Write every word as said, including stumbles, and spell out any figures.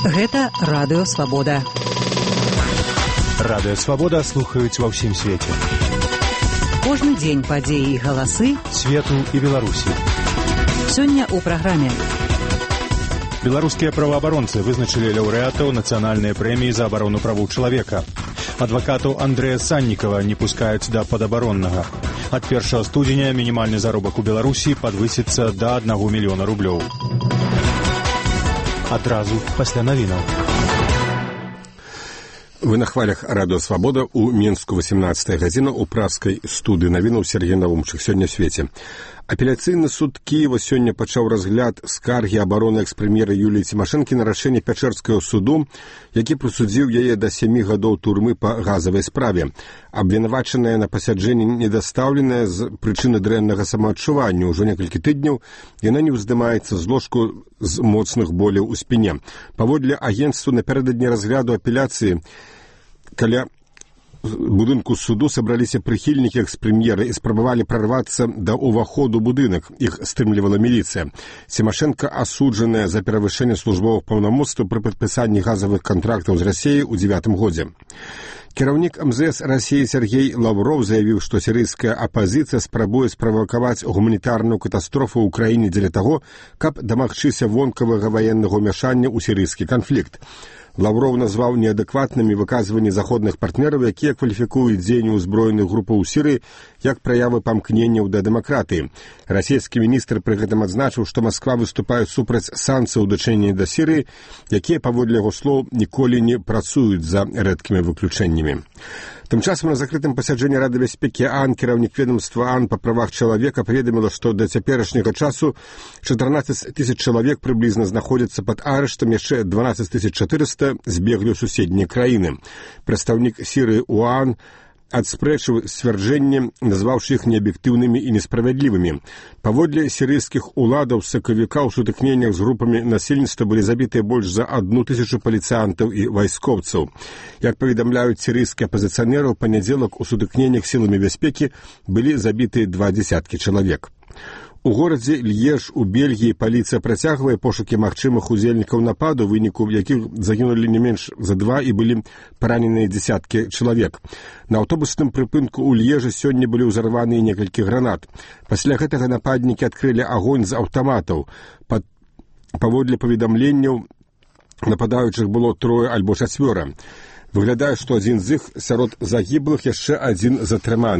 Гэта Радыё Свабода. Радыё Свабода слухаюць ва ўсім свеце. Кожны дзень падзеі і галасы свету і Беларусі. Сёння ў праграме. Беларускія праваабаронцы вызначылі лаўрэатаў нацыянальнай прэміі за абарону правоў чалавека. Адвакатаў Андрэя Саннікава не пускаюць да падабароннага. Ад першага студзеня мінімальны заробак у Беларусі падвысіцца да аднаго мільёна рублёў. Адразу пасля навінаў. Вы на хвалях Радыё Свабода. У Мінску восемнадцатая гадзіна у праскай студыі навінаў Сергей Навумчык. Сёння ў свеце. Апеляцыйны суд Кіева сёння пачаў разгляд скаргі абароны экс-прэм'ера Юліі Цімашэнкі на рашэнне Пячэрскага суду, які прысудзіў яе да сямі гадоў турмы па газавай справе. Абвінавачаная на пасяджэнні недастаўленая з прычыны дрэннага самаадчування. Ужо некалькі тыдняў яна не ўздымаецца з ложку з моцных боляў у спіне. Паводле агенцтва напярэдадні разгляду апеляцыі каля будынку суду сабраліся прыхільнікі экс-прэм'ера і спрабавалі прарвацца да ўваходу будынак. Іх стрымлівала міліцыя. Цімашэнка асуджаная за перавышэнне службовых паўнамоцтваў пры падпісанні газавых кантрактаў з Расіяй у дзевятым годзе. Кіраўнік эм зэ эс Расіі Сергей Лаўроў заявіў, што сірыйская апазіцыя спрабуе справакаваць гуманітарную катастрофу ў краіне дзеля таго, каб дамагчыся вонкавага ваеннага ўмяшання ў сірыйскі канфлікт. Лаўроў назваў неадэкватнымі выказванні заходных партнераў, якія кваліфікуюць дзеянні ўзброеных групаў у Сірыі як праявы памкненняў да дэмакратыі. Расійскі міністр пры гэтым адзначыў, што Масква выступае супраць санкцыяў у дачыненні да Сірыі, якія, паводле яго слоў, ніколі не працуюць за рэдкімі выключэннямі. Тым часам на закрытым пасяджэнні Рады бяспекі ААН кіраўнік ведомства ААН па правах чалавека паведаміла, што да цяперашняга часу чатырнаццаць тысяч чалавек прыблізна знаходзяцца пад арыштам, яшчэ дванаццаць тысяч чатырыста збеглі ў суседнія краіны. Прадстаўнік Сірыі ў ААН адспрэчыў сцвярджэнні, назваўшы іх неаб'ектыўнымі і несправядлівымі. Паводле сірыйскіх уладаў сакавіка ў сутыкненнях з групамі насельніцтва былі забітыя больш за адну тысячу паліцыянтаў і вайскоўцаў. Як паведамляюць сірыйскія апазіцыянеры, у панядзелак у сутыкненнях сіламі бяспекі былі забітыя два дзесяткі чалавек. У горадзе Льеж у Бельгіі паліцыя працягвае пошукі магчымых удзельнікаў нападу, у выніку якіх загінулі не менш за два і былі параненыя дзесяткі чалавек. На аўтобусным прыпынку ў Льежы сёння былі ўзарваныя некалькі гранат. Пасля гэтага нападнікі адкрылі агонь з аўтаматаў. Пад... Паводле паведамленняў нападаючых было трое альбо чацвёра. Выглядае, што адзін з іх сярод загіблых, яшчэ адзін затрыманы.